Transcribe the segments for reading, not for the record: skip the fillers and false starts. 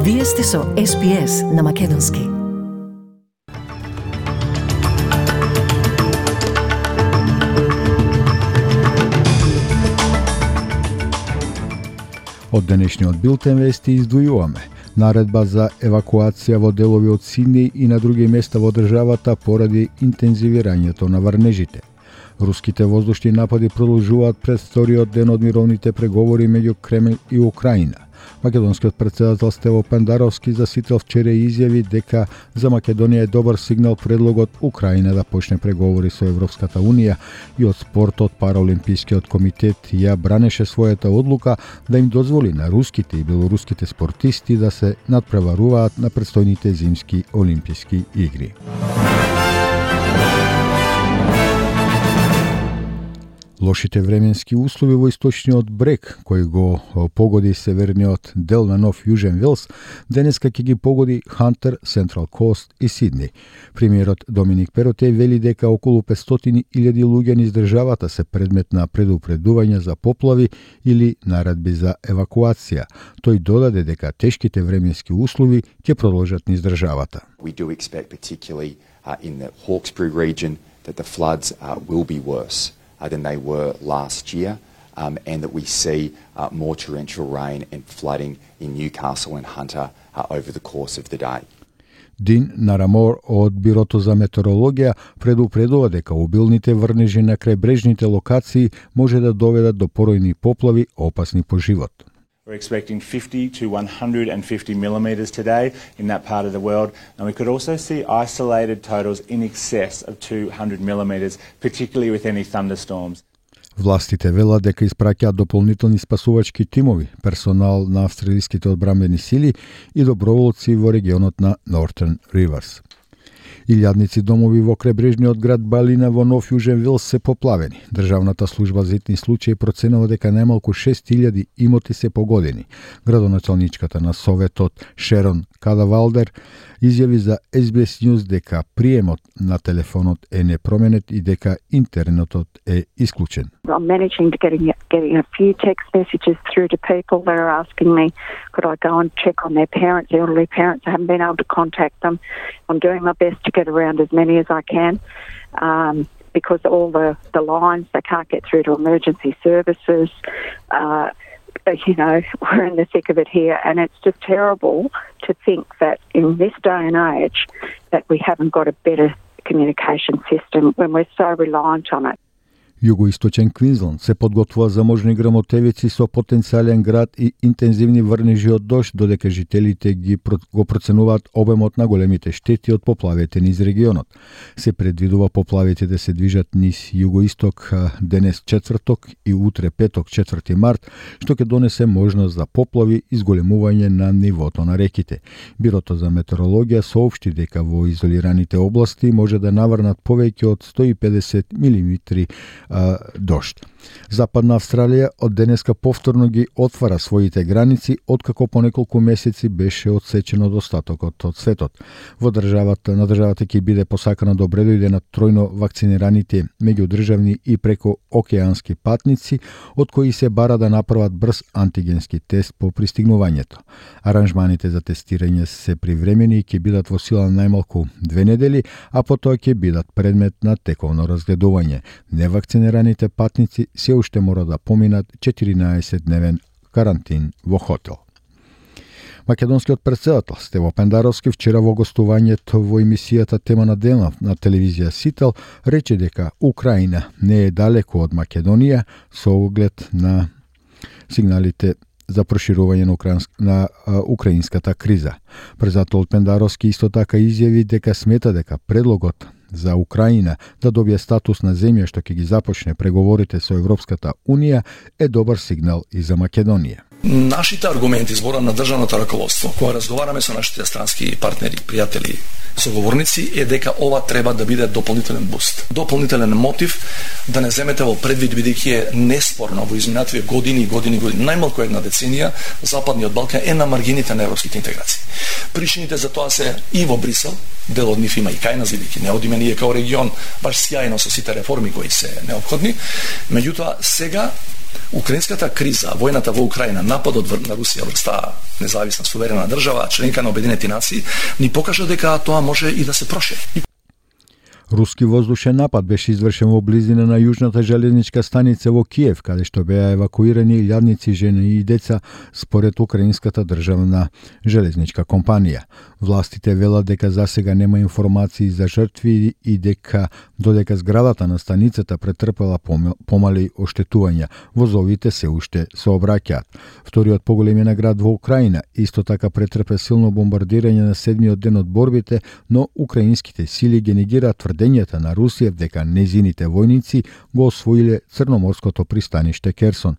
Вие сте со SPS на Македонски. Од денешниот билтен вести издвојуваме наредба за евакуација во делови од Сиднеј и на други места во државата поради интензивирањето на врнежите. Руските воздушни напади продолжуваат пред вториот ден од мировните преговори меѓу Кремљ и Украина. Македонскиот претседател Стево Пендаровски за сител вчера изјави дека за Македонија е добар сигнал предлогот Украина да почне преговори со Европската Унија и од спортот Параолимпискиот комитет ја бранеше својата одлука да им дозволи на руските и белоруските спортисти да се надпреваруваат на предстојните зимски олимписки игри. Лошите временски услови во источниот брег, кој го погоди северниот дел на Нов Јужен Велс, денеска ќе ги погоди Хантер, Централ Кост и Сиднеј. Премиерот Доминик Перотеј вели дека околу 500.000 луѓе низ државата се предмет на предупредување за поплави или наредби за евакуација. Тој додаде дека тешките временски услови ќе продолжат низ државата. We do expect particularly in the Hawkesbury region that the floods will be worse than they were last year, and that we see more torrential rain and flooding in Newcastle and Hunter over the course of the day. Дин Нарамор од Бирото за метеорологија предупредува дека обилните врнежи на крајбрежните локации може да доведат до поројни поплави опасни по живот. We're expecting 50 to 150 millimetres today in that part of the world, and we could also see isolated totals in excess of 200 millimetres, particularly with any thunderstorms. Властите велат дека испраќаат дополнителни спасувачки тимови, персонал на австралиските одбранбени сили и доброволци во регионот на Northern Rivers. Илјадници домови во крајбрежниот град Балина во Нов Јужен Велс се поплавени. Државната служба за итни случаи проценува дека најмалку 6.000 имоти се погодени. Градоначалничката на Советот Шерон Кадавалдер изјави за SBS News дека приемот на телефонот е непроменет и дека интернетот е исклучен. I'm managing to getting a few text messages through to people that are asking me, could I go and check on their parents, elderly parents? I haven't been able to contact them. I'm doing my best to get around as many as I can because all the lines, they can't get through to emergency services. You know, we're in the thick of it here, and it's just terrible to think that in this day and age that we haven't got a better communication system when we're so reliant on it. Југоисточен Квинсленд се подготвува за можни грмотевици со потенцијален град и интензивни врнежи од дожд, додека жителите го проценуваат обемот на големите штети од поплавите низ регионот. Се предвидува поплавите да се движат низ југоисток денес четврток и утре петок 4 март, што ќе донесе можност за поплави и зголемување на нивото на реките. Бирото за метеорологија соопшти дека во изолираните области може да наврнат повеќе од 150 милиметри дожд. Западна Австралија од денеска повторно ги отвара своите граници, откако по неколку месеци беше одсечено достатокот од светот. На државата ќе биде посакано да обредојде на тројно вакцинираните меѓудржавни и преко океански патници, од кои се бара да направат брз антигенски тест по пристигнувањето. Аранжманите за тестирање се привремени и ќе бидат во сила најмалку 2 недели, а потоа ќе бидат предмет на тековно разгледување. Невакцинираните патници се уште мора да поминат 14-дневен карантин во хотел. Македонскиот претседател Стево Пендаровски вчера во гостувањето во емисијата Тема на денот на телевизија Сител рече дека Украина не е далеко од Македонија со оглед на сигналите за проширување на украинската криза. Претседателот Пендаровски исто така изјави дека смета дека предлогот за Украина да добие статус на земја што ќе ги започне преговорите со Европската Унија е добар сигнал и за Македонија. Нашите аргументи збора на државното раководство, кога разговараме со нашите странски партнери, пријатели, соговорници, е дека ова треба да биде дополнителен буст, дополнителен мотив да не земете во предвид, бидејќи е неспорно во изминативе години, најмалку една деценија, Западниот Балкан е на маргините на европските интеграции. Причините за тоа се и во Брисел, дел од нив има и кај нас, бидејќи не одиме ние као регион баш сјајно со сите реформи кои се неопходни. Меѓутоа, сега Украинската криза, војната во Украина, нападот на Русија врз таа независна суверена држава, членка на Обединетите нации, ни покажа дека тоа може и да се прошири. Руски воздушен напад беше извршен во близина на јужната железничка станица во Киев, каде што беа евакуирани илјадници жени и деца, според Украинската државна железничка компанија. Властите велат дека засега нема информации за жртви и дека додека зградата на станицата претрпела помали оштетувања, возовите се уште се обраќаат. Вториот поголемиот град во Украина исто така претрпе силно бомбардирање на седмиот ден од борбите, но украинските сили ги негираат тврдењата на Русија дека незините војници го освоиле црноморското пристаниште Керсон.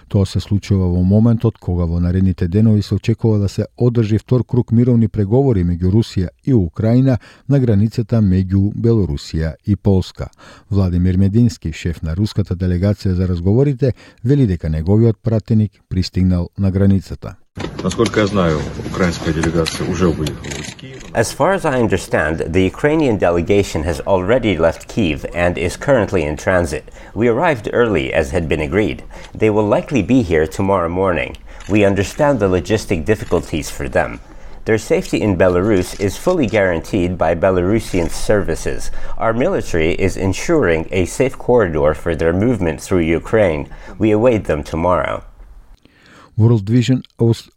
Тоа се случува во моментот кога во наредните денови се очекува да се одржи втор круг мировни преговори меѓу Русија и Украина на границата меѓу Белорусија и Полска. Владимир Медински, шеф на руската делегација за разговорите, вели дека неговиот пратеник пристигнал на границата. Насколько я знаю, украинская делегация уже выехала из Киева. As far as I understand, the Ukrainian delegation has already left Kyiv and is currently in transit. We arrived early as had been agreed. They will likely be here tomorrow morning. We understand the logistic difficulties for them. Their safety in Belarus is fully guaranteed by Belarusian services. Our military is ensuring a safe corridor for their movement through Ukraine. We await them tomorrow. World Vision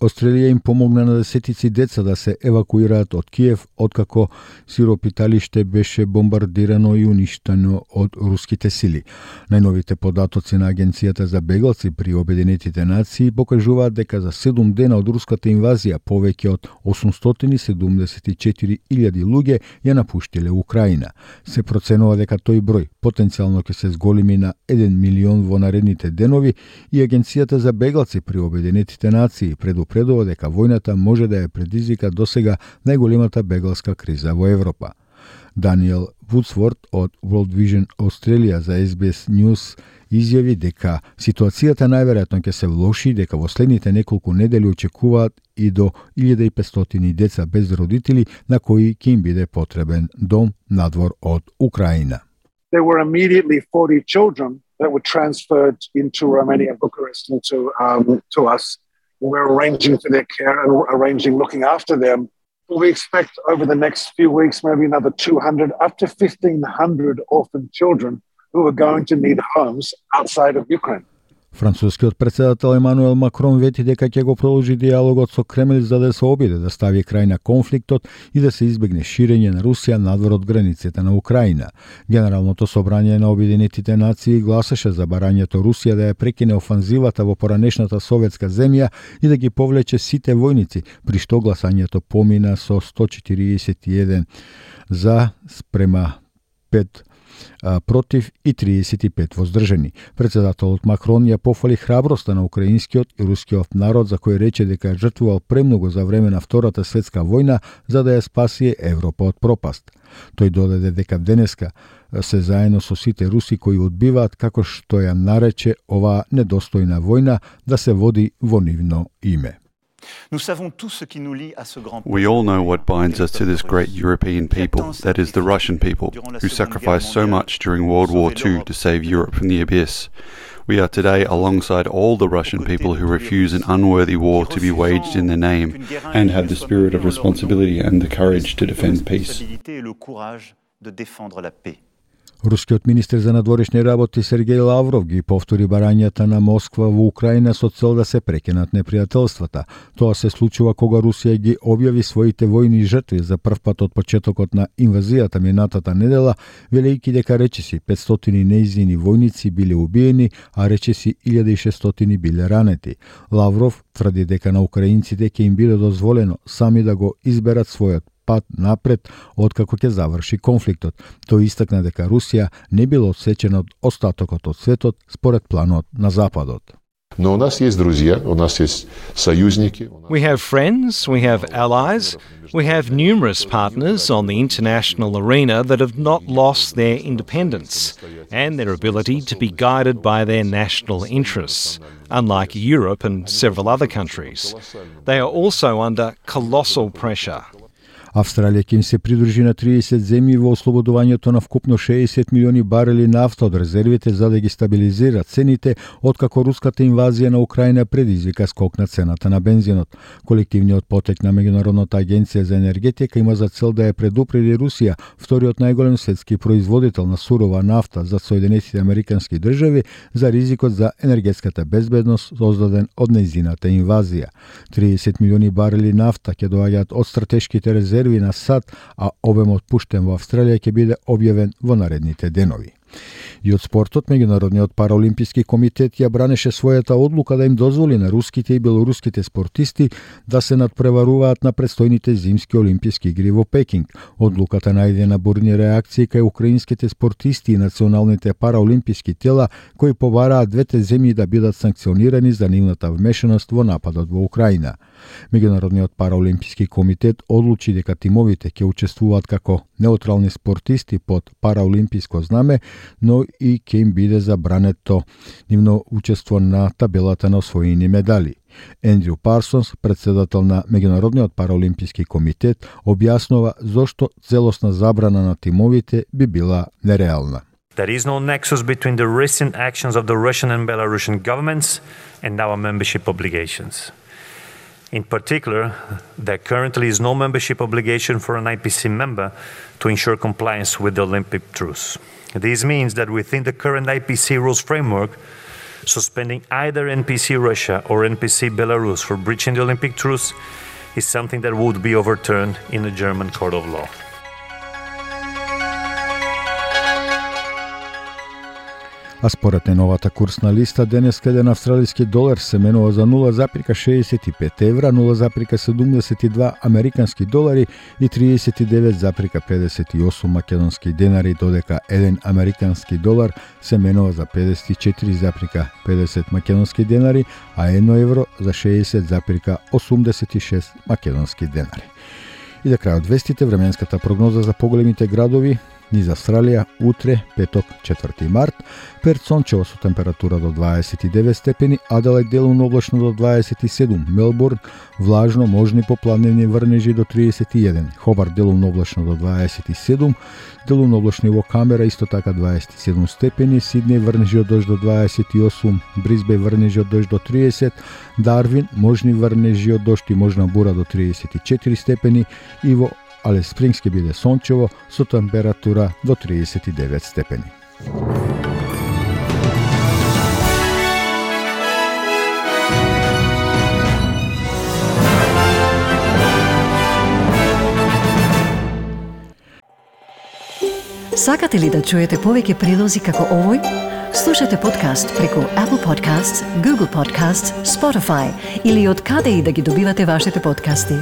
Australia им помогна на десетици деца да се евакуираат од Киев, откако сиропиталиште беше бомбардирано и уништено од руските сили. Најновите податоци на Агенцијата за беглаци при Обединетите нации покажуваат дека за 7 дена од руската инвазија повеќе од 874.000 луѓе ја напуштиле Украина. Се проценува дека тој број потенцијално ќе се зголеми на 1 милион во наредните денови и Агенцијата за беглаци при Обединетите нации предупредува дека војната може да ја предизвика досега најголемата бегласка криза во Европа. Даниел Вудсворт од World Vision Australia за SBS News изјави дека ситуацијата најверојатно ќе се влоши, дека во следните неколку недели очекуваат и до 1500 деца без родители на кои ќе им биде потребен дом надвор од Украина. There were immediately 40 children that were transferred into Romania, Bucharest, and to us. We're arranging for their care and arranging looking after them. We expect over the next few weeks maybe another 200, up to 1,500 orphan children who are going to need homes outside of Ukraine. Францускиот претседател Емануел Макрон вети дека ќе го продолжи диалогот со Кремљ за да се обиде да стави крај на конфликтот и да се избегне ширење на Русија надвор од границите на Украина. Генералното собрание на Обединетите нации гласаше за барањето Русија да ја прекине офанзивата во поранешната советска земја и да ги повлече сите војници, при што гласањето помина со 141 за спрема 5 против и 35 воздржани. Председателот Макрон ја пофали храброста на украинскиот и рускиот народ, за кој рече дека жртвувал премногу за време на Втората светска војна за да ја спаси Европа од пропаст. Тој додаде дека денеска се заедно со сите руси кои одбиваат, како што ја нарече оваа недостојна војна, да се води во нивно име. We all know what binds us to this great European people, that is the Russian people, who sacrificed so much during World War II to save Europe from the abyss. We are today alongside all the Russian people who refuse an unworthy war to be waged in their name and have the spirit of responsibility and the courage to defend peace. Рускиот министер за надворешни работи Сергеј Лавров ги повтори барањата на Москва во Украина со цел да се прекинат непријателствата. Тоа се случува кога Русија ги објави своите војни жртви за прв пат од почетокот на инвазијата минатата недела, велејќи дека речиси 500 нејзини војници биле убиени, а речиси 1600 биле ранети. Лавров тврди дека на украинците ќе им биде дозволено сами да го изберат својот пат напред откако ќе заврши конфликтот. Тој истакна дека Русија не била одсечена од остатокот од светот според планот на Западот. Но у нас есть друзья, у нас есть союзники. We have friends, we have allies, we have numerous partners on the international arena that have not lost their independence and their ability to be guided by their national interests, unlike Europe and several other countries. They are also under colossal pressure. Австралија ќе им се придружи на 30 земји во ослободувањето на вкупно 60 милиони барели нафта од резервите за да ги стабилизира цените, откако руската инвазија на Украина предизвика скок на цената на бензинот. Колективниот потек на Меѓународната агенција за енергетика има за цел да ја предупреди Русија, вториот најголем светски производител на сурова нафта за Соединетите американски држави, за ризикот за енергетската безбедност создаден од нејзината инвазија. 30 милиони барели нафта ќе доаѓаат од стратешките резерви на САД, а обемот пуштен во Австралија ќе биде објавен во наредните денови. И од спортот, Меѓународниот параолимписки комитет ја бранеше својата одлука да им дозволи на руските и белоруските спортисти да се надпреваруваат на предстојните зимски олимписки игри во Пекинг. Одлуката најде на бурни реакции кај украинските спортисти и националните параолимписки тела кои побараат двете земји да бидат санкционирани за нивната вмешаност во нападот во Украина. Меѓународниот параолимписки комитет одлучи дека тимовите ќе учествуваат како неутрални спортисти под параолимписко знаме, но и ќе им биде забрането нивно учество на табелата на освоени медали. Ендрю Парсонс, председател на Меѓународниот параолимписки комитет, објаснува зошто целосна забрана на тимовите би била нереална. There is no nexus between the recent actions of the Russian and Belarusian governments and our membership obligations. In particular, there currently is no membership obligation for an IPC member to ensure compliance with the Olympic truce. This means that within the current IPC rules framework, suspending either NPC Russia or NPC Belarus for breaching the Olympic truce is something that would be overturned in the German court of law. А според новата курсна листа, денеска еден австралиски долар се менува за 0,65 евра, 0,72 американски долари и 39,58 македонски денари, додека еден американски долар се менува за 54,50 македонски денари, а 1 евро за 60,86 македонски денари. И за крајот вестите, временската прогноза за поголемите градови низ Австралија утре, петок, 4 март, Перт сончево со температура до 29 степени, Аделајд делумно облачно до 27, Мелбурн влажно, можни попладневни врнежи до 31, Хобарт делумно облачно до 27, делумно облачно во Камбера исто така 27 степени, Сиднеј врнежи од дожд до 28, Брисбеј врнежи од дожд до 30, Дарвин можни врнежи од дожд и можна бура до 34 степени и во Алис Спрингс ќе биде сончево со температура до 39 степени. Сакате ли да чуете повеќе прилози како овој? Слушате подкаст преку Apple Podcasts, Google Podcasts, Spotify или од каде и да ги добивате вашите подкасти.